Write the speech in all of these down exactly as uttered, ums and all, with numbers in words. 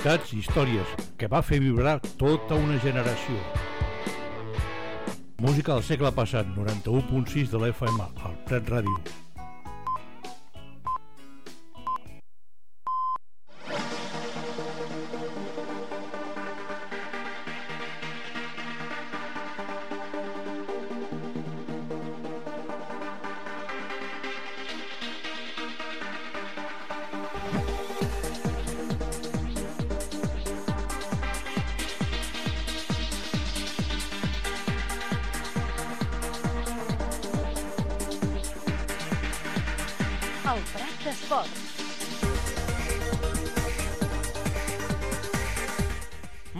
ciutats i històries que va fer vibrar tota una generació. Música del segle passat, noranta-u punt sis de l'F M, al Prat Ràdio. El Prat d'Esport.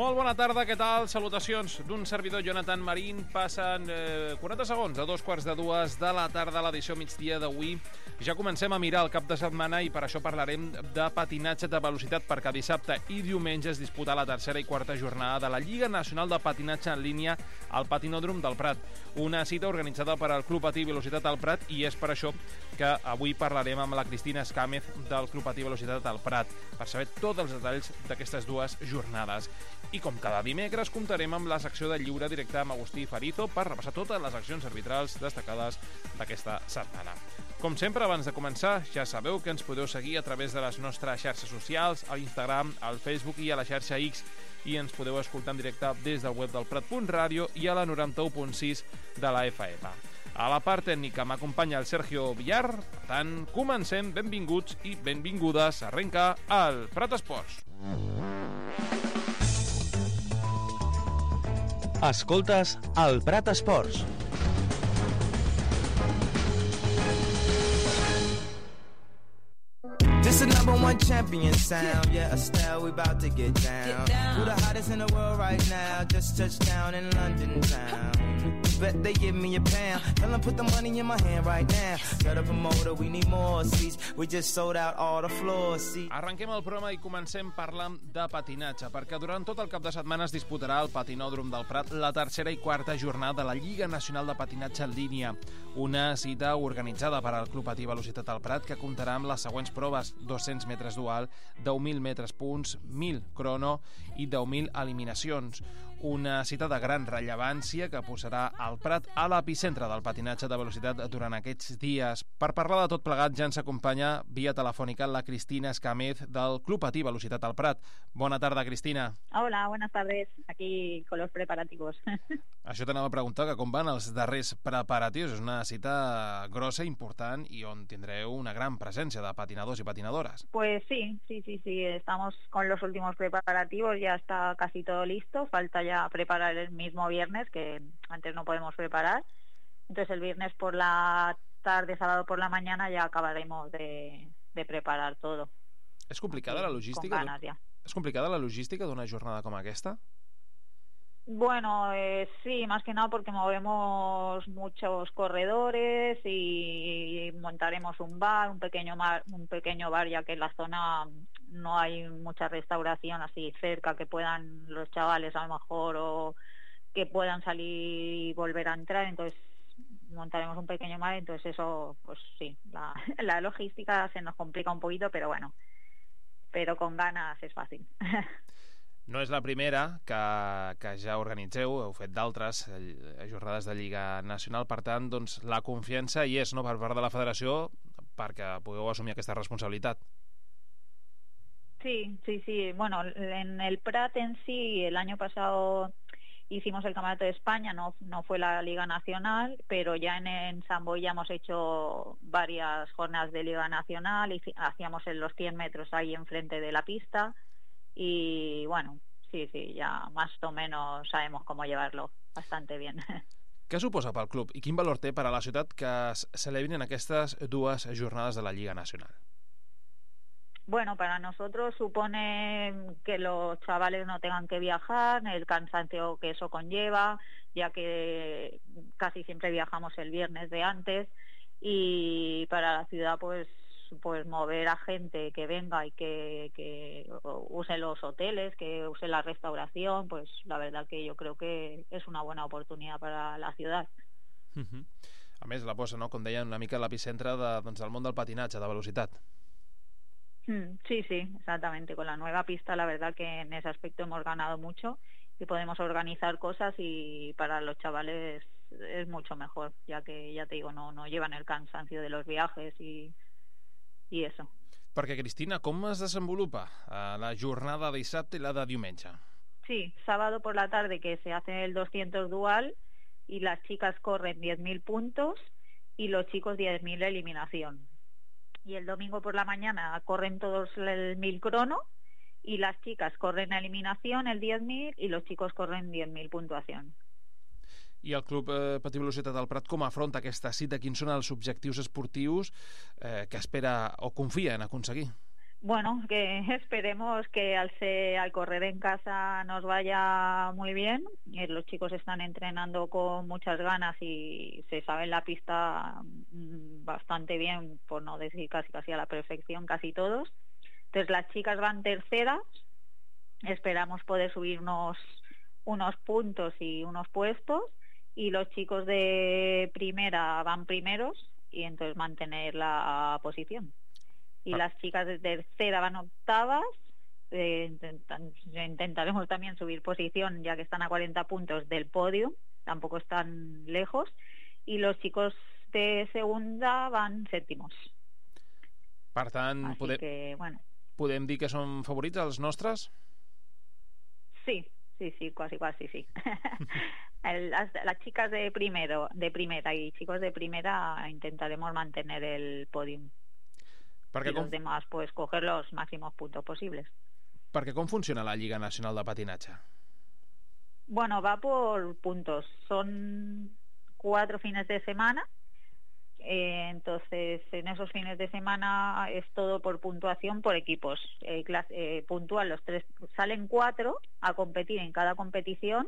Molt bona tarda, què tal? Salutacions d'un servidor, Jonathan Marín. Passen eh, quaranta segons a dos quarts de dues de la tarda, l'edició migdia d'avui. Ja comencem a mirar el cap de setmana i per això parlarem de patinatge de velocitat, perquè dissabte i diumenge es disputa la tercera i quarta jornada de la Lliga Nacional de Patinatge en línia al Patinòdrom del Prat. Una cita organitzada per al Club Patí Velocitat al Prat, i és per això que avui parlarem amb la Cristina Escàmez del Club Patí Velocitat al Prat per saber tots els detalls d'aquestes dues jornades. I com cada dimecres comptarem amb la secció de lliure directe amb Agustí Farizo per repassar totes les accions arbitrals destacades d'aquesta setmana. Com sempre, abans de començar, ja sabeu que ens podeu seguir a través de les nostres xarxes socials, a l'Instagram, al Facebook i a la xarxa X, i ens podeu escoltar en directe des del web del Prat punt ràdio i a la noranta-u punt sis de la F M. A la part tècnica m'acompanya el Sergio Villar. Per tant, comencem. Benvinguts i benvingudes. Arrenca el Prat Esports. Escoltes el Prat Esports. This the number one champion sound. Yeah, Estelle, we about to get down. Who the hottest in the world right now? Just touched down in London town. Bet they give me a pound. Tell them put the money in my hand right now. Got a promoter, we need more seats. We just sold out all the floor seats. Arrenquem el programa i comencem parlant de patinatge, perquè durant tot el cap de setmana es disputarà al Patinòdrom del Prat la tercera i quarta jornada de la Lliga Nacional de Patinatge en línia. Una cita organitzada per al Club Patí Velocitat al Prat que comptarà amb les següents proves: dos-cents metres dual, deu mil metres punts, mil crono i deu mil eliminacions. Una cita de gran rellevància que posarà el Prat a l'epicentre del patinatge de velocitat durant aquests dies. Per parlar de tot plegat ja ens acompanya via telefònica la Cristina Escàmez del Club Patí Velocitat al Prat. Bona tarda, Cristina. Hola, buenas tardes. Aquí con los preparativos. Això t'anava a preguntar, que com van els darrers preparatius? És una cita grossa, important, i on tindreu una gran presència de patinadors i patinadores. Pues sí, sí, sí, sí. Estamos con los últimos preparativos, ya está casi todo listo. Falta ya preparar el mismo viernes, que antes no podemos preparar. Entonces el viernes por la tarde, sábado por la mañana, ya acabaremos de, de preparar todo. És complicada la logística? Con ganas, ya. És complicada la logística d'una jornada com aquesta? Bueno, eh, sí, más que nada porque movemos muchos corredores y montaremos un bar, un pequeño mar, un pequeño bar, ya que en la zona no hay mucha restauración así cerca que puedan los chavales a lo mejor o que puedan salir y volver a entrar. Entonces montaremos un pequeño mar, entonces eso, pues sí, la, la logística se nos complica un poquito, pero bueno, pero con ganas es fácil. No és la primera que, que ja organitzeu, heu fet d'altres jornades de Lliga Nacional, per tant, doncs, la confiança hi és, no?, per part de la federació perquè pugueu assumir aquesta responsabilitat. Sí, sí, sí. Bueno, en el Prat en sí, el año pasado hicimos el Campeonato de España, no, no fue la Liga Nacional, pero ya en, en San Boi ya hemos hecho varias jornadas de Liga Nacional y hacíamos en los cien metros ahí enfrente de la pista. Y bueno, sí, sí, ya más o menos sabemos cómo llevarlo bastante bien. Què suposa pel club i quin valor té per a la ciutat que es celebrin aquestes dues jornades de la Lliga Nacional? Bueno, para nosotros supone que los chavales no tengan que viajar, el cansancio que eso conlleva, ya que casi siempre viajamos el viernes de antes, y para la ciudad pues pues mover a gente que venga y que, que use los hoteles, que use la restauración, pues la verdad que yo creo que es una buena oportunidad para la ciudad. Uh-huh. A més, la posa, no?, com deien, una mica a l'epicentre de, doncs, del món del patinatge, de velocitat. Sí, sí, exactamente. Con la nueva pista, la verdad que en ese aspecto hemos ganado mucho y podemos organizar cosas, y para los chavales es mucho mejor, ya que, ya te digo, no, no llevan el cansancio de los viajes y, y eso. Perquè, Cristina, com es desenvolupa eh, la jornada de dissabte i la de diumenge? Sí, sábado por la tarde que se hace el doscientos dual y las chicas corren diez mil puntos y los chicos diez mil eliminación. Y el domingo por la mañana corren todos el mil crono y las chicas corren eliminación el diez mil y los chicos corren diez mil puntuación. I el Club eh, Patí Velocitat del Prat com afronta aquesta cita? Quins són els objectius esportius eh, que espera o confia en aconseguir? Bueno, que esperemos que al, ser, al correr en casa nos vaya muy bien. Los chicos están entrenando con muchas ganas y se sabe la pista bastante bien, por no decir casi casi a la perfección, casi todos. Entonces las chicas van terceras, esperamos poder subir unos, unos puntos y unos puestos, y los chicos de primera van primeros y entonces mantener la posición. Y ah. las chicas de tercera van octavas, eh, intentan, intentaremos también subir posición ya que están a cuarenta puntos del podio, tampoco están lejos, y los chicos de segunda van sèptimos. Per tant, podem, que, bueno. podem dir que són favorits els nostres? Sí, sí, sí, quasi, quasi, sí. El, las, las chicas de primero, de primera y chicos de primera intentaremos mantener el podium. Perquè y com... los demás, pues, coger los máximos puntos posibles. Perquè com funciona la Lliga Nacional de Patinatge? Bueno, va por puntos. Son cuatro fines de semana. Eh, entonces, en esos fines de semana es todo por puntuación por equipos. Eh, clase, eh, puntúan los tres, salen cuatro a competir en cada competición,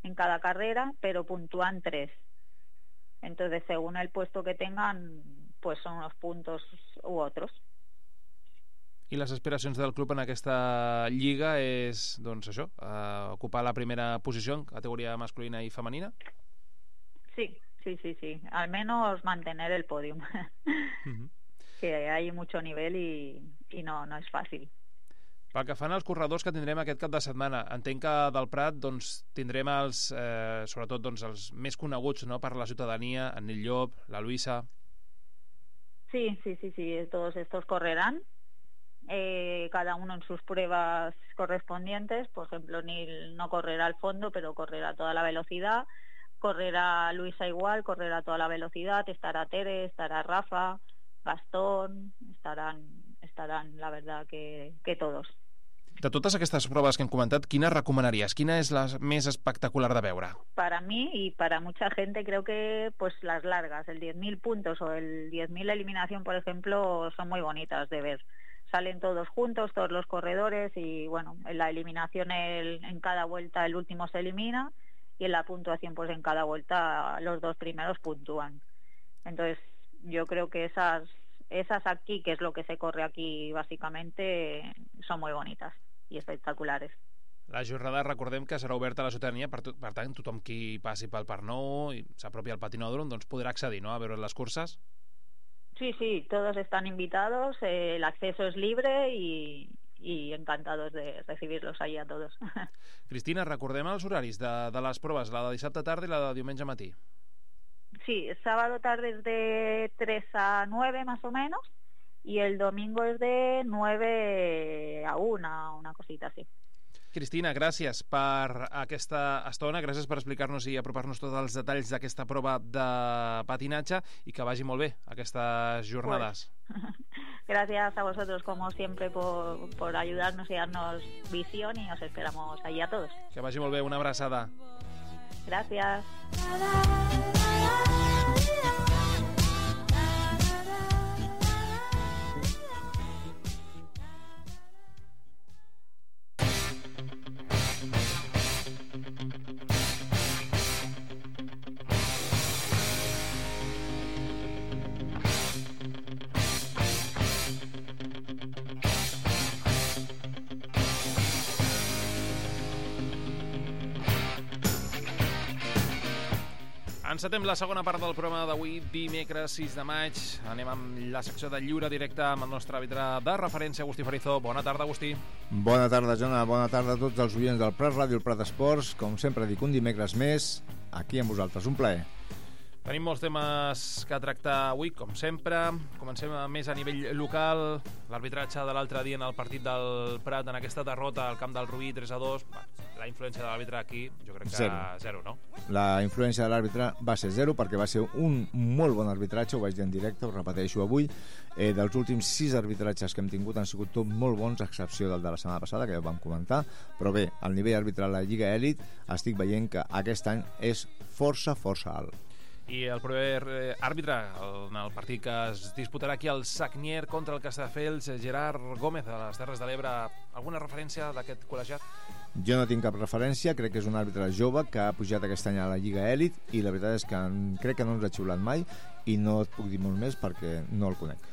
en cada carrera, pero puntúan tres. Entonces, según el puesto que tengan, pues son unos puntos u otros. I les aspiracions del club en aquesta lliga és, doncs això, uh, ocupar la primera posició en categoria masculina i femenina? Sí, sí, sí, sí. Al menos mantener el podium. Uh-huh. Que hay mucho nivel y, y no, no es fàcil. Pel que fan als corredors que tindrem aquest cap de setmana, entenc que del Prat doncs, tindrem els, eh, sobretot doncs, els més coneguts, no?, per la ciutadania, en Nil Llop, la Luisa... Sí, sí, sí, sí, todos estos correrán, eh, cada uno en sus pruebas correspondientes. Por ejemplo, Nil no correrá al fondo, pero correrá toda la velocidad, correrá Luisa igual, correrá toda la velocidad, estará Tere, estará Rafa, Gastón, estarán, estarán la verdad que, que todos. De totes aquestes proves que hem comentat, quina recomanaries? Quina és la més espectacular de veure? Para mí y para mucha gente creo que pues las largas, el diez mil puntos o el diez mil eliminación, por ejemplo, son muy bonitas de ver. Salen todos juntos, todos los corredores, y bueno, en la eliminación el, en cada vuelta el último se elimina, y en la puntuación pues en cada vuelta los dos primeros puntúan. Entonces yo creo que esas, esas aquí, que es lo que se corre aquí básicamente, son muy bonitas i espectaculares. La jornada, recordem que serà oberta a la ciutadania, per, to per tant, tothom qui passi pel Parc Nou i s'apropi al patinòdrom doncs podrà accedir, no?, a veure les curses. Sí, sí, todos están invitados, eh, el acceso es libre y, y encantados de recibirlos ahí a todos. Cristina, recordem els horaris de, de les proves, la de dissabte tarda i la de diumenge matí. Sí, sábado tarde es de tres a nueve más o menos, y el domingo es de nueve a una, una cosita así. Cristina, gràcies per aquesta estona, gràcies per explicar-nos i apropar-nos tots els detalls d'aquesta prova de patinatge, i que vagi molt bé aquestes jornades. Pues, gracias a vosotros, como siempre, por, por ayudarnos y darnos visión, y os esperamos allí a todos. Que vagi molt bé, una abraçada. Gracias. Encetem la segona part del programa d'avui, dimecres sis de maig. Anem amb la secció de lliure directe amb el nostre àrbitre de referència, Agustí Farizo. Bona tarda, Agustí. Bona tarda, Jona. Bona tarda a tots els oients del Prat Ràdio, el Prat Esports. Com sempre dic, un dimecres més, aquí amb vosaltres. Un plaer. Tenim molts temes que tractar avui, com sempre. Comencem més a nivell local. L'arbitratge de l'altre dia en el partit del Prat, en aquesta derrota al camp del Rubí, tres a dos. La influència de l'àrbitre aquí, jo crec que zero, zero no? La influència de l'àrbitre va ser zero perquè va ser un molt bon arbitratge, ho vaig dir en directe, ho repeteixo avui. Eh, dels últims sis arbitratges que hem tingut han sigut tot molt bons, a excepció del de la setmana passada, que ja ho vam comentar. Però bé, al nivell arbitral de la Lliga Elit estic veient que aquest any és força, força alt. I el proper àrbitre en el partit que es disputarà aquí al Sagnier contra el Castelldefels, Gerard Gómez, de les Terres de l'Ebre. Alguna referència d'aquest col·legiat? Jo no tinc cap referència, crec que és un àrbitre jove que ha pujat aquest any a la Lliga Elit i la veritat és que crec que no ens ha xiulat mai i no et puc dir molt més perquè no el conec.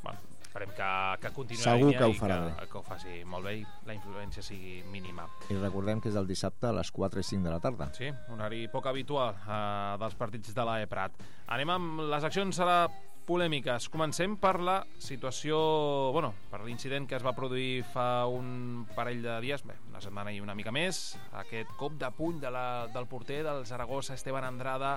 Bueno, esperem que, que continuï Segur la que ho línia farà i bé. que, que ho faci molt bé i la influència sigui mínima. I recordem que és el dissabte a les quatre i cinc de la tarda. Sí, un horari poc habitual eh, dels partits de l'A E Prat. Anem amb les accions a la polèmiques. Comencem per la situació, bueno, per l'incident que es va produir fa un parell de dies, bé, una setmana i una mica més, aquest cop de puny de la, del porter del Zaragoza, Esteban Andrada,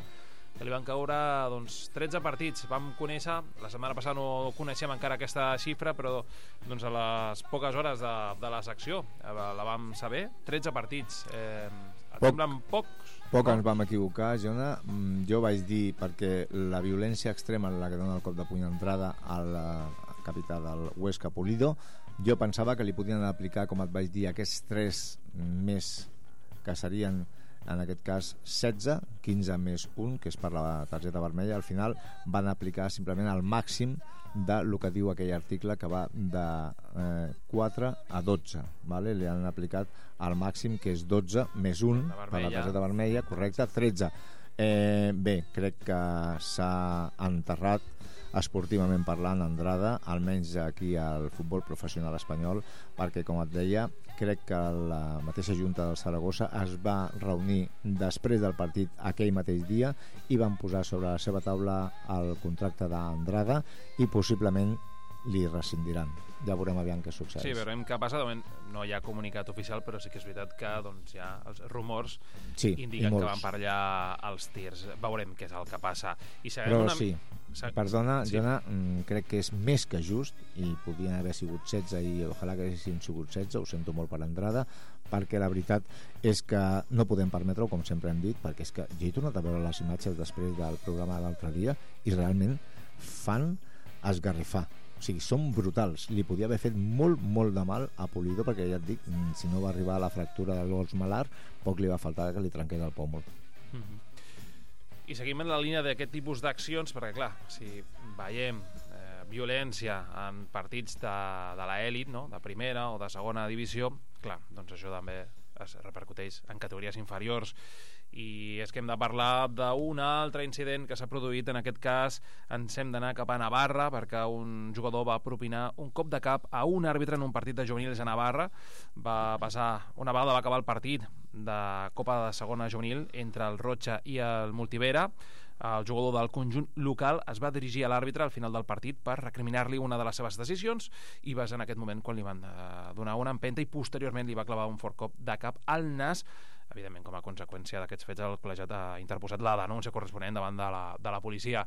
que li van caure doncs, tretze partits. Vam conèixer, la setmana passada no coneixem encara aquesta xifra, però doncs, a les poques hores de, de la secció eh, la vam saber, tretze partits. Eh, et Poc. semblen pocs? Poc no? ens vam equivocar, Jona. Jo vaig dir, perquè la violència extrema en la que dona el cop de puny d'entrada al capità del Huesca, Pulido, jo pensava que li podien aplicar, com et vaig dir, aquests tres més que serien en aquest cas setze, quinze més un, que és per la targeta vermella. Al final van aplicar simplement el màxim de lo que diu aquell article, que va de eh, quatre a dotze, vale? Li han aplicat el màxim, que és dotze més un per la targeta vermella, correcte, tretze. Eh, bé, crec que s'ha enterrat esportivament parlant Andrada, almenys aquí al futbol professional espanyol, perquè, com et deia, crec que la mateixa Junta del Zaragoza es va reunir després del partit aquell mateix dia i van posar sobre la seva taula el contracte d'Andrada i possiblement li rescindiran. Ja veurem aviam què succeeix. Sí, veurem què passa. De moment no hi ha comunicat oficial, però sí que és veritat que doncs, ja els rumors sí, indiquen que van per allà els tirs. Veurem què és el que passa. I però una... sí, perdona, sí. Jona, crec que és més que just i podien haver sigut setze i ojalà que haguessin sigut setze, ho sento molt per Andrada, perquè la veritat és que no podem permetre-ho, com sempre hem dit, perquè és que jo he tornat a veure les imatges després del programa de l'altre dia i realment fan esgarrifar. O sigui, són brutals. Li podia haver fet molt, molt de mal a Pulido, perquè ja et dic, si no va arribar a la fractura del gos malar, poc li va faltar que li trenqués el pòmul. Mm-hmm. I seguim en la línia d'aquest tipus d'accions, perquè clar, si veiem eh, violència en partits de, de l'elit, no? De primera o de segona divisió, clar, doncs això també es repercuteix en categories inferiors. I és que hem de parlar d'un altre incident que s'ha produït. En aquest cas ens hem d'anar cap a Navarra, perquè un jugador va propinar un cop de cap a un àrbitre en un partit de juvenils a Navarra. Va passar, una vegada va acabar el partit de Copa de Segona Juvenil entre el Rocha i el Multivera, el jugador del conjunt local es va dirigir a l'àrbitre al final del partit per recriminar-li una de les seves decisions i va ser en aquest moment quan li van donar una empenta i posteriorment li va clavar un fort cop de cap al nas. Evidentment, com a conseqüència d'aquests fets, el col·legiat ha interposat la denúncia corresponent davant de la, de la policia.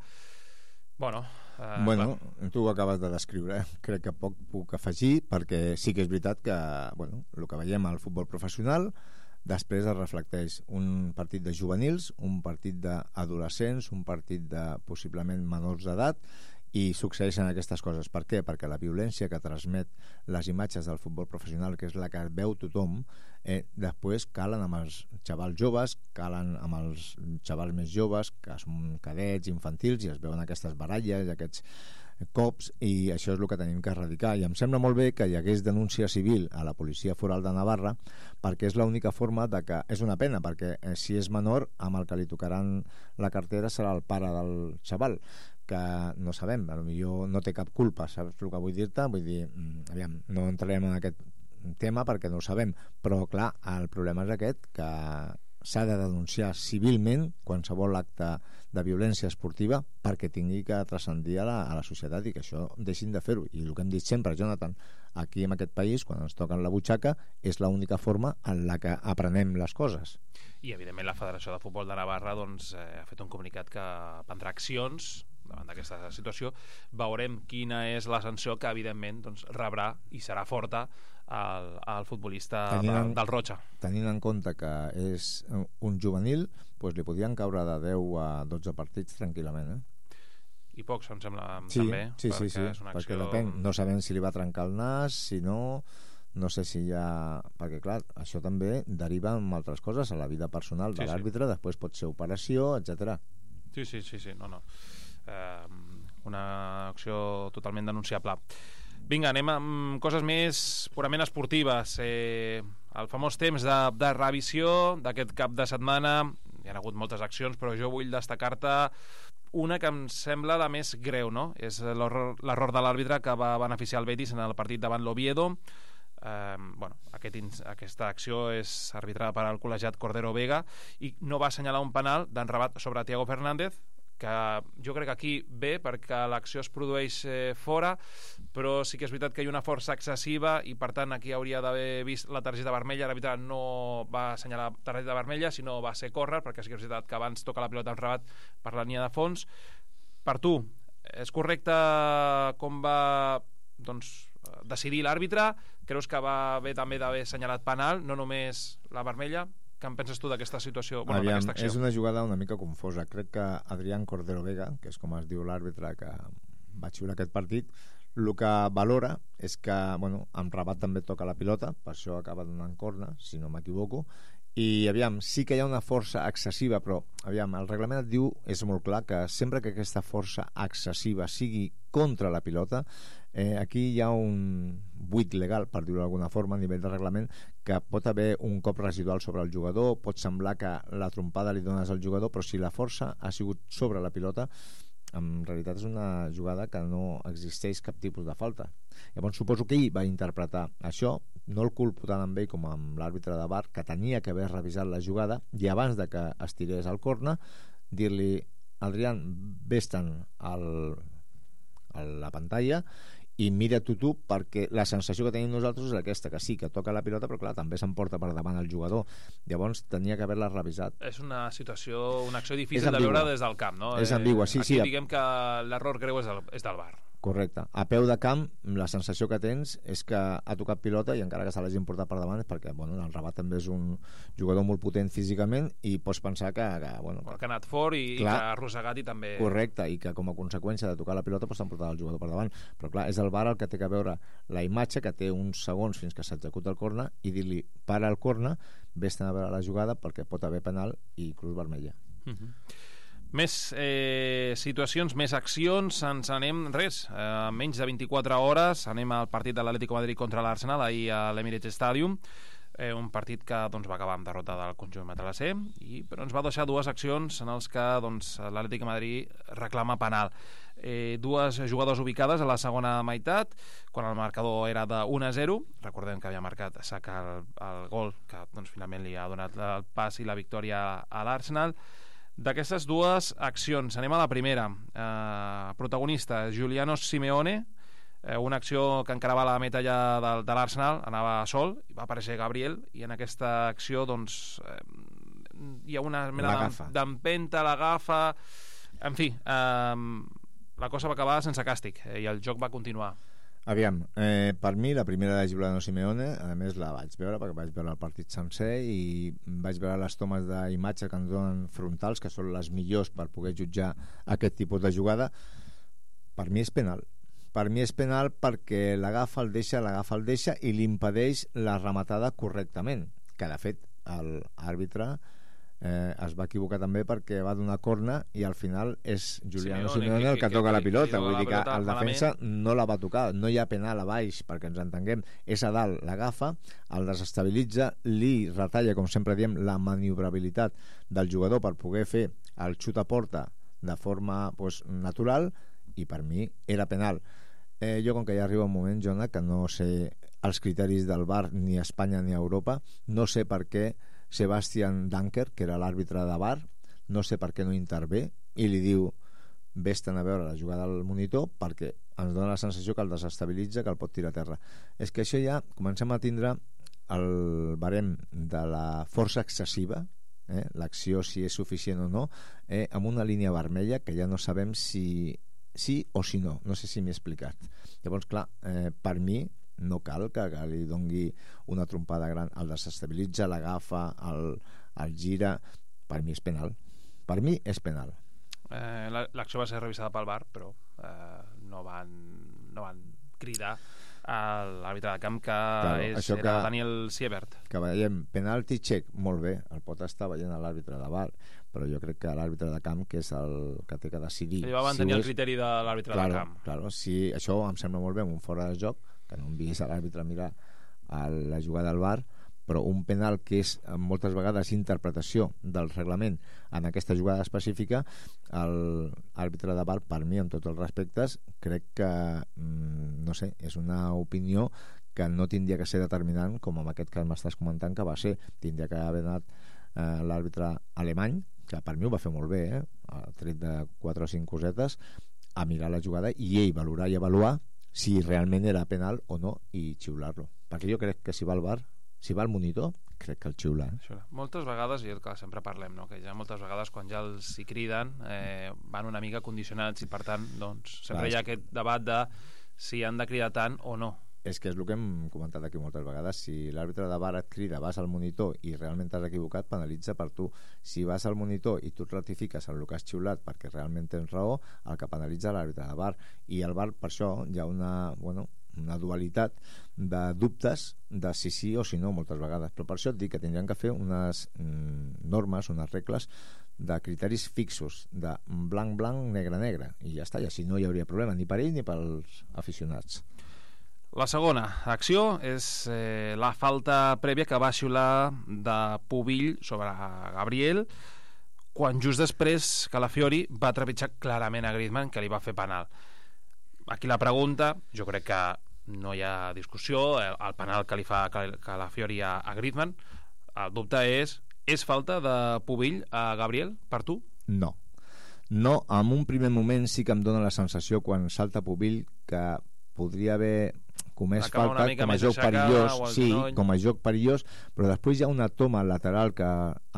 Bueno, eh, bueno tu ho acabes de descriure, eh? Crec que poc puc afegir, perquè sí que és veritat que bueno, el que veiem al futbol professional després es reflecteix un partit de juvenils, un partit d'adolescents, un partit de possiblement menors d'edat, i succeeixen aquestes coses. Per què? Perquè la violència que transmet les imatges del futbol professional, que és la que veu tothom, eh, després calen amb els xavals joves, calen amb els xavals més joves, que són cadets, infantils, i es veuen aquestes baralles, aquests cops, i això és el que tenim que erradicar. I em sembla molt bé que hi hagués denúncia civil a la Policia Foral de Navarra, perquè és l'única forma de que... És una pena, perquè eh, si és menor, amb el que li tocaran la cartera serà el pare del xaval, que no sabem, potser no té cap culpa, saps el que vull dir-te? Vull dir, aviam, no entrarem en aquest tema perquè no ho sabem, però clar, el problema és aquest, que s'ha de denunciar civilment qualsevol acte de violència esportiva perquè tingui que transcendir a la, a la societat i que això deixin de fer-ho. I el que hem dit sempre, Jonathan, aquí en aquest país, quan ens toquen la butxaca, és l'única forma en la que aprenem les coses. I, evidentment, la Federació de Futbol de Navarra doncs, eh, ha fet un comunicat que prendrà accions davant d'aquesta situació. Veurem quina és la sanció que, evidentment, doncs, rebrà i serà forta el, el futbolista tenint en, del Rocha. Tenint en compte que és un juvenil, doncs li podien caure de deu a dotze partits tranquil·lament, eh? I pocs, em sembla, em sí, també. Sí, sí, sí, és una perquè acció... depèn. No sabem si li va trencar el nas, si no... No sé si hi ha... Perquè, clar, això també deriva en altres coses, a la vida personal de sí, l'àrbitre, sí. Després pot ser operació, etcètera. Sí, sí, sí, sí, no, no. Eh, una acció totalment denunciable. Vinga, anem amb coses més purament esportives. Eh, el famós temps de, de revisió d'aquest cap de setmana. Hi ha hagut moltes accions, però jo vull destacar-te una que em sembla la més greu, no? És l'error de l'àrbitre que va beneficiar el Betis en el partit davant l'Oviedo. Eh, bueno, aquest, aquesta acció és arbitrada per al col·legiat Cordero Vega i no va assenyalar un penal d'enrabat sobre Thiago Fernández, que jo crec que aquí ve perquè l'acció es produeix eh, fora, però sí que és veritat que hi ha una força excessiva i per tant aquí hauria d'haver vist la targeta vermella. L'àrbitre no va assenyalar targeta vermella, sinó va ser córrer, perquè sí que és veritat que abans toca la pilota enrabat per la línia de fons. Per tu, és correcte com va doncs, decidir l'àrbitre? Creus que va bé també d'haver assenyalat penal, no només la vermella? Què en penses tu d'aquesta situació? Bueno, Aviam, d'aquesta acció? És una jugada una mica confosa. Crec que Adrián Cordero Vega, que és com es diu l'àrbitre que va xiular aquest partit, el que valora és que, bueno, en Rabat també toca la pilota, per això acaba donant corna, si no m'equivoco, i aviam, sí que hi ha una força excessiva, però aviam, el reglament et diu, és molt clar, que sempre que aquesta força excessiva sigui contra la pilota, eh, aquí hi ha un buit legal, per dir-ho d'alguna forma, a nivell de reglament, que pot haver un cop residual sobre el jugador, pot semblar que la trompada li dones al jugador, però si la força ha sigut sobre la pilota, en realitat és una jugada que no existeix cap tipus de falta. Llavors suposo que ell va interpretar això, no el culpo tant amb ell com amb l'àrbitre de V A R, que tenia que haver revisat la jugada i abans de que es tirés al corna dir-li, Adrián, vés-te'n al, a la pantalla i mira tu tu, perquè la sensació que tenim nosaltres és aquesta, que sí, que toca la pilota, però clar, també s'emporta per davant el jugador. Llavors tenia que haver-la revisat. És una situació, una acció difícil de veure des del camp, no? És ambigua, sí, Aquí sí. Diguem que l'error greu és del, és del V A R. Correcte. A peu de camp, la sensació que tens és que ha tocat pilota i encara que se l'hagin portat per davant és perquè, bueno, el Rabat també és un jugador molt potent físicament i pots pensar que... que, bueno, que, que ha anat fort i, clar, i que ha arrossegat i també... Correcte, i que com a conseqüència de tocar la pilota pues, s'han portat el jugador per davant. Però clar, és el V A R el que té que veure la imatge, que té uns segons fins que s'executa el corna i dir-li, para el corna, vés-te'n a veure la jugada perquè pot haver penal i cruz vermella. Uh-huh. Més eh, situacions, més accions, ens anem, res, eh, menys de vint-i-quatre hores, anem al partit de l'Atlético de Madrid contra l'Arsenal, ahir a l'Emirates Stadium, eh, un partit que doncs, va acabar amb derrota del conjunt matalasser, i, però ens va deixar dues accions en els que doncs, l'Atlético de Madrid reclama penal. Eh, dues jugadors ubicades a la segona meitat, quan el marcador era de un a zero, recordem que havia marcat Saka el, el gol, que doncs, finalment li ha donat el pas i la victòria a l'Arsenal. D'aquestes dues accions, anem a la primera. Eh, protagonista, Giuliano Simeone, eh, una acció que encarava la meta ja de, de l'Arsenal, anava sol, i va aparèixer Gabriel, i en aquesta acció doncs, eh, hi ha una mena d'empenta, l'agafa... En fi, eh, la cosa va acabar sense càstig, eh, i el joc va continuar. Aviam, eh, per mi la primera de Giuliano Simeone, a més la vaig veure perquè vaig veure el partit sencer i vaig veure les tomes d'imatge que ens donen frontals, que són les millors per poder jutjar aquest tipus de jugada. Per mi és penal. Per mi és penal perquè l'agafa, el deixa, l'agafa, el deixa i li impedeix la rematada correctament, que de fet l'àrbitre eh, es va equivocar també perquè va donar corna i al final és Giuliano Simeone, Simeone el que, que toca que, la pilota, vull dir que el defensa no la va tocar, no hi ha penal a baix perquè ens entenguem, és a dalt, l'agafa, el desestabilitza, li retalla, com sempre diem, la maniobrabilitat del jugador per poder fer el xut a porta de forma pues, natural, i per mi era penal. Eh, jo com que ja arriba un moment, Jona, que no sé els criteris del V A R ni a Espanya ni a Europa, no sé per què Sebastian Danker, que era l'àrbitre de V A R, no sé per què no intervé, i li diu vés-te'n a veure la jugada al monitor perquè ens dona la sensació que el desestabilitza, que el pot tirar a terra. És que això ja comencem a tindre el barem de la força excessiva, eh? l'acció si és suficient o no, eh? amb una línia vermella que ja no sabem si sí o si no, no sé si m'he explicat. Llavors, clar, eh, per mi no cal que, que li dongui una trompada gran, el desestabilitza, l'agafa, el, el gira, per mi és penal. Per mi és penal. Eh, l'acció va ser revisada pel V A R, però eh, no, van, no van cridar a l'àrbitre de camp, que claro, és, era que, Daniel Siebert. Que veiem penalti check, molt bé, el pot estar veient l'àrbitre de V A R, però jo crec que l'àrbitre de camp, que és el que té que decidir... Ell va mantenir si el és... criteri de l'àrbitre claro, de camp. Claro, si això em sembla molt bé, un fora de joc, que no envies a l'àrbitre a mirar a la jugada del V A R, però un penal que és moltes vegades interpretació del reglament en aquesta jugada específica, l'àrbitre de V A R, per mi, amb tots els respectes, crec que no sé, és una opinió que no tindria que ser determinant, com en aquest cas m'estàs comentant que va ser. Tindria que haver anat eh, l'àrbitre alemany, que per mi ho va fer molt bé, eh? Ha tret de quatre o cinc cosetes, a mirar la jugada i ell valorar i avaluar si realment era penal o no i xiular-lo, perquè jo crec que si va al V A R, si va al monitor, crec que el xiula, eh? Moltes vegades, i que sempre parlem, no? que ja moltes vegades quan ja els hi criden eh, van una mica condicionats i per tant doncs, sempre Clar, hi ha aquest debat de si han de cridar tant o no. És que és el que hem comentat aquí moltes vegades. Si l'àrbitre de V A R et crida, vas al monitor i realment t'has equivocat, penalitza per tu. Si vas al monitor i tu et ratifiques en el que has xiulat perquè realment tens raó, el que penalitza l'àrbitre de V A R. I al V A R, per això, hi ha una, bueno, una dualitat de dubtes de si sí o si no moltes vegades. Però per això et dic que tindrien que fer unes mm, normes, unes regles de criteris fixos, de blanc, blanc, negre, negre, i ja està, i així no hi hauria problema ni per ell ni pels aficionats. La segona acció és eh, la falta prèvia que va xiular de Pubill sobre Gabriel quan just després Calafiori va trepitjar clarament a Griezmann, que li va fer penal. Aquí la pregunta, jo crec que no hi ha discussió, el, el penal que li fa Calafiori a, a Griezmann, el dubte és, és falta de Pubill a Gabriel per tu? No. No, en un primer moment sí que em dóna la sensació quan salta Pubill que podria haver comès falta com a joc perillós, sí, com a joc perillós, però després hi ha una toma lateral que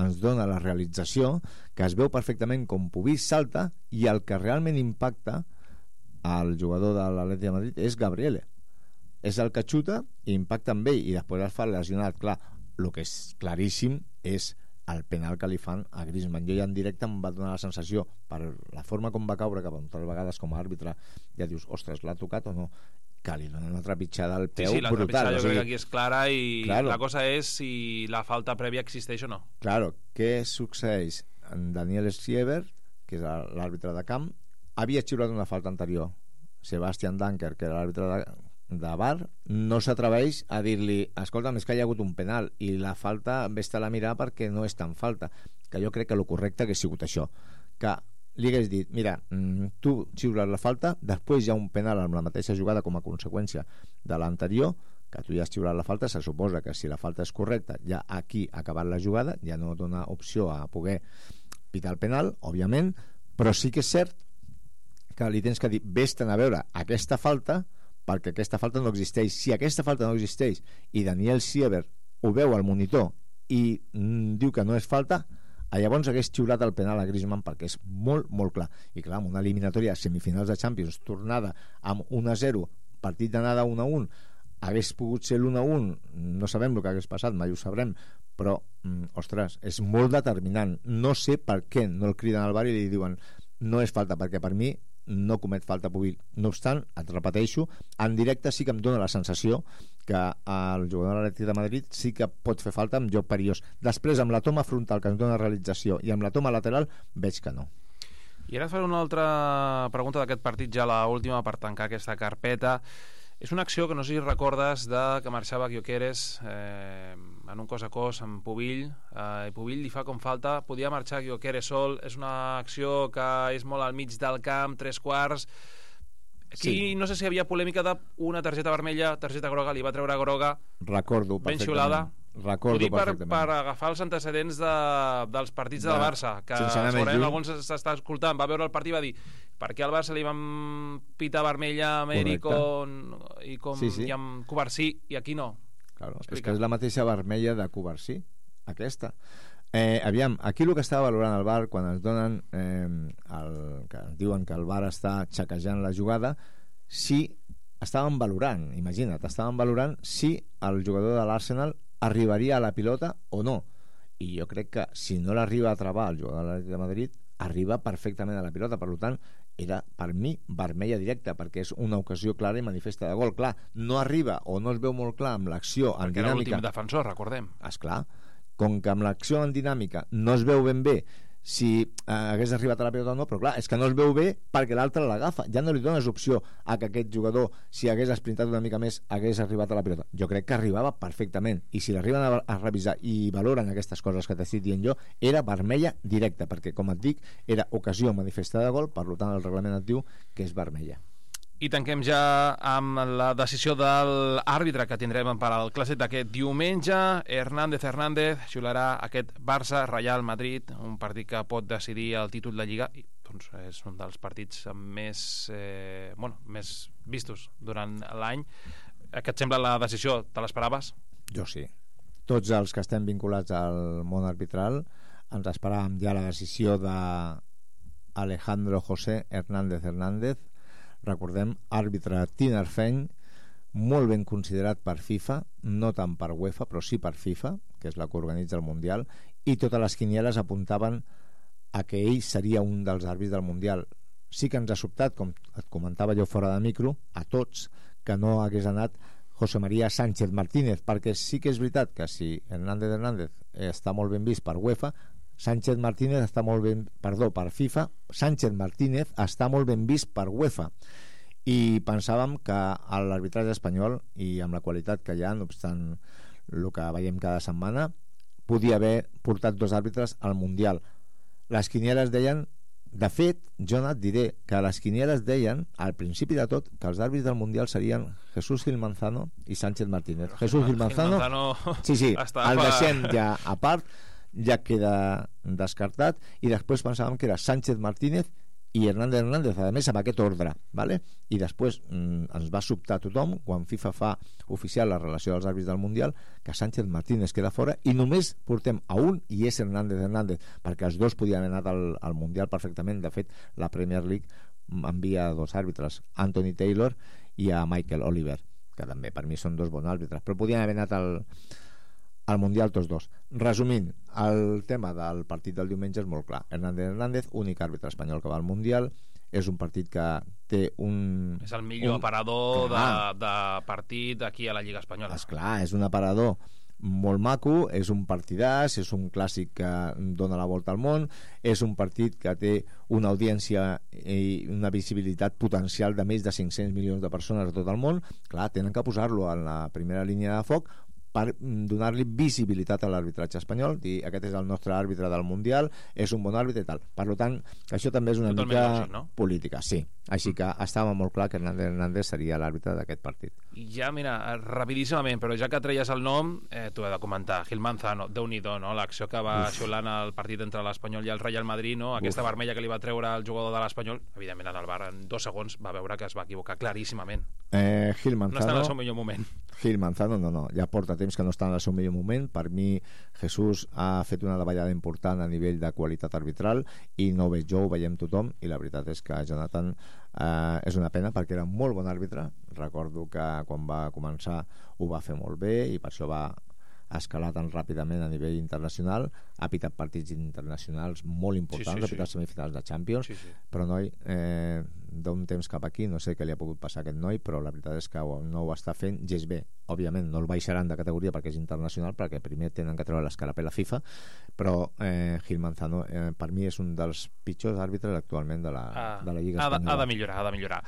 ens dona la realització, que es veu perfectament com Pubill salta i el que realment impacta al jugador de l'Atlètic de Madrid és Gabriel. És el que xuta i impacta amb ell i després es fa lesionat. Clar, el que és claríssim és el penal que li fan a Griezmann. Jo ja en directe em va donar la sensació, per la forma com va caure, que moltes vegades com a àrbitre ja dius, ostres, l'ha tocat o no, que li donen una trepitjada al peu sí, sí, la brutal. Jo o sigui, crec que aquí és clara i claro, la cosa és si la falta prèvia existeix o no. Claro, què succeeix? En Daniel Siebert, que és l'àrbitre de camp, havia xiulat una falta anterior. Sebastian Danker, que era l'àrbitre de, de V A R, no s'atreveix a dir-li, escolta, és que hi ha hagut un penal i la falta vés-te-la a mirar perquè no és tan falta, que jo crec que el correcte hagués sigut això, que li hagués dit, mira, tu xiules la falta, després hi ha un penal amb la mateixa jugada com a conseqüència de l'anterior, que tu ja has xiulat la falta, se suposa que si la falta és correcta, ja aquí ha acabat la jugada, ja no dona opció a poder pitar el penal, òbviament, però sí que és cert que li tens que dir, vés-te'n a veure aquesta falta, perquè aquesta falta no existeix. Si aquesta falta no existeix i Daniel Siebert ho veu al monitor i mm, diu que no és falta, llavors hagués xiulat el penal a Griezmann perquè és molt, molt clar. I clar, amb una eliminatòria semifinals de Champions, tornada amb un a zero, partit d'anada un a un, hagués pogut ser l'un a un, no sabem el que hagués passat, mai ho sabrem, però, mm, ostres, és molt determinant. No sé per què no el criden al V A R i li diuen no és falta, perquè per mi no comet falta Pubill. No obstant, et repeteixo, en directe sí que em dóna la sensació que el jugador de l'Atlètic de Madrid sí que pot fer falta amb joc perillós. Després, amb la toma frontal que ens dona realització i amb la toma lateral, veig que no. I ara et faré una altra pregunta d'aquest partit, ja l'última per tancar aquesta carpeta. És una acció que no sé si recordes de que marxava Gyökeres eh, en un cos a cos amb Pubill eh, i Pubill li fa com falta, podia marxar Gyökeres sol, és una acció que és molt al mig del camp, tres quarts. Aquí sí. No sé si hi havia polèmica d'una targeta vermella, targeta groga, li va treure groga. Recordo ben xiulada. recordo per, perfectament. per agafar els antecedents de, dels partits de, de del Barça, que segurament algú s'està escoltant, va veure el partit i va dir per què al Barça li van pitar vermella a Amèric i com sí, sí. i amb Covarsí i aquí no? Claro, és que és la mateixa vermella de Covarsí, aquesta. Eh, aviam, aquí el que estava valorant el V A R quan ens donen eh, el, que ens diuen que el V A R està xequejant la jugada, si estaven valorant, imagina't, estaven valorant si el jugador de l'Arsenal arribaria a la pilota o no, i jo crec que si no l'arriba a travar el jugador de l'Atlètic de Madrid, arriba perfectament a la pilota, per tant era per mi vermella directa, perquè és una ocasió clara i manifesta de gol. Clar, no arriba o no es veu molt clar amb l'acció en perquè dinàmica, era l'últim defensor, recordem. Esclar, com que amb l'acció en dinàmica no es veu ben bé si eh, hagués arribat a la pilota o no, però clar, és que no es veu bé perquè l'altre l'agafa, ja no li dones opció a que aquest jugador, si hagués esprintat una mica més, hagués arribat a la pilota. Jo crec que arribava perfectament, i si l'arriben a, a revisar i valoren aquestes coses que t'estic dient jo, era vermella directa, perquè com et dic, era ocasió manifestada de gol, per tant el reglament et diu que és vermella. I tanquem ja amb la decisió de l'àrbitre que tindrem per al clàssic d'aquest diumenge. Hernández Hernández xularà aquest Barça-Real Madrid, un partit que pot decidir el títol de Lliga i doncs, és un dels partits més, eh, bueno, més vistos durant l'any. Què et sembla la decisió? Te l'esperaves? Jo sí. Tots els que estem vinculats al món arbitral ens esperàvem ja la decisió de Alejandro José Hernández Hernández. Recordem, àrbitre tinerfeny, molt ben considerat per FIFA, no tant per UEFA, però sí per FIFA, que és la que organitza el Mundial, i totes les quinieles apuntaven a que ell seria un dels àrbits del Mundial. Sí que ens ha sobtat, com et comentava jo fora de micro, a tots, que no hagués anat José María Sánchez Martínez, perquè sí que és veritat que si Hernández Hernández està molt ben vist per UEFA, Sánchez Martínez està molt ben, perdó, per FIFA, Sánchez Martínez està molt ben vist per UEFA, i pensàvem que a l'arbitratge espanyol, i amb la qualitat que hi ha, no obstant el que veiem cada setmana, podia haver portat dos àrbitres al Mundial. Les quinieles deien, de fet, jo et diré que les quinieles deien, al principi de tot, que els àrbitres del Mundial serien Jesús Gil Manzano i Sánchez Martínez. Jesús Gil Manzano, Gil Manzano sí, sí, el deixem ja a part, ja queda descartat, i després pensàvem que era Sánchez Martínez i Hernández Hernández, a més amb aquest ordre, ¿vale? I després mm, ens va sobtar tothom quan FIFA fa oficial la relació dels àrbits del Mundial que Sánchez Martínez queda fora i només portem a un i és Hernández Hernández, perquè els dos podien haver anat al, al Mundial perfectament. De fet, la Premier League envia dos àrbitres, Anthony Taylor i a Michael Oliver, que també per mi són dos bons àrbitres, però podien haver anat al al Mundial tots dos. Resumint, el tema del partit del diumenge és molt clar. Hernández Hernández, únic àrbitre espanyol que va al Mundial, és un partit que té un... És el millor un... aparador de, de partit aquí a la Lliga Espanyola. Esclar, és un aparador molt maco, és un partidàs, és un clàssic que dona la volta al món, és un partit que té una audiència i una visibilitat potencial de més de cinc-cents milions de persones a tot el món. Clar, tenen que posar-lo en la primera línia de foc per donar-li visibilitat a l'arbitratge espanyol, dir aquest és el nostre àrbitre del Mundial, és un bon àrbitre i tal. Per tant, això també és una Totalment mica lògic, no? política, sí. Així que estava molt clar que Hernández Hernández seria l'àrbitre d'aquest partit. I ja, mira, rapidíssimament, però ja que treies el nom, eh, t'ho he de comentar. Gil Manzano, Déu-n'hi-do, no? L'acció que va Uf. xulant el partit entre l'Espanyol i el Real Madrid, no? Aquesta Uf. vermella que li va treure el jugador de l'Espanyol, evidentment en el V A R en dos segons va veure que es va equivocar claríssimament. Eh, Gil Manzano... No està en el seu millor moment. Gil Manzano, no, no, ja porta temps que no està en el seu millor moment. Per mi, Jesús ha fet una davallada important a nivell de qualitat arbitral i no ho veig jo, ho veiem tothom, i la veritat és que Jonathan eh, és una pena perquè era un molt bon àrbitre. Recordo que quan va començar ho va fer molt bé i per això va escalar tan ràpidament a nivell internacional, ha pitat partits internacionals molt importants, sí, sí, sí. ha pitat semifinals de Champions, sí, sí. però noi, eh, d'un temps cap aquí, no sé què li ha pogut passar a aquest noi, però la veritat és que no ho està fent gens bé. Òbviament no el baixaran de categoria perquè és internacional, perquè primer tenen que treure l'escarapel a FIFA, però eh, Gil Manzano eh, per mi és un dels pitjors àrbitres actualment de la, ah, de la Lliga Espanyola. Ha de, ha de millorar, ha de millorar.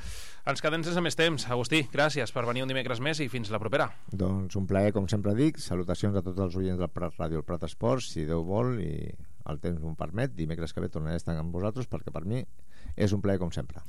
Ens quedem sense més temps. Agustí, gràcies per venir un dimecres més i fins la propera. Doncs un plaer, com sempre dic. Salutacions a tots els oients del Prat Ràdio, el Prat Esports, si Déu vol i el temps m'ho permet. Dimecres que ve tornaré a estar amb vosaltres perquè per mi és un plaer com sempre.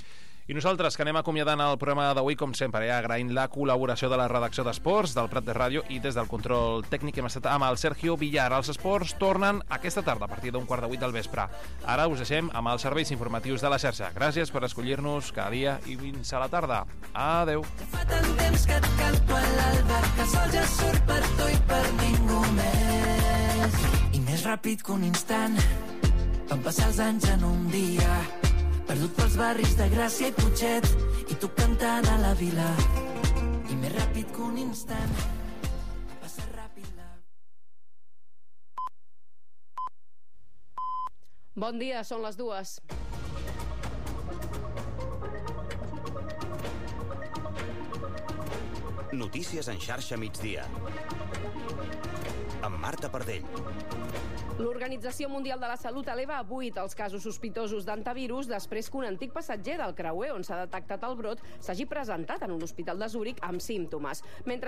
I nosaltres, que anem acomiadant el programa d'avui, com sempre, eh, agraint la col·laboració de la redacció d'Esports, del Prat de Ràdio, i des del control tècnic hem estat amb el Sergio Villar. Els esports tornen aquesta tarda, a partir d'un quart de vuit del vespre. Ara us deixem amb els serveis informatius de la xarxa. Gràcies per escollir-nos cada dia i fins a la tarda. Adeu. Fa tant temps que et canto a l'alba, que el sol ja surt per tu i per ningú més. I més ràpid que un instant, van passar els anys en un dia, perdut pels barris de Gràcia i Putxet, i tu cantant a la vila. I més ràpid que un instant, passa ràpid la... Bon dia, són les dues. Notícies en xarxa migdia. Amb Marta Pardell. L'Organització Mundial de la Salut eleva a vuit els casos sospitosos d'antivirus després que un antic passatger del creuer on s'ha detectat el brot s'hagi presentat en un hospital de Zúrich amb símptomes. Mentre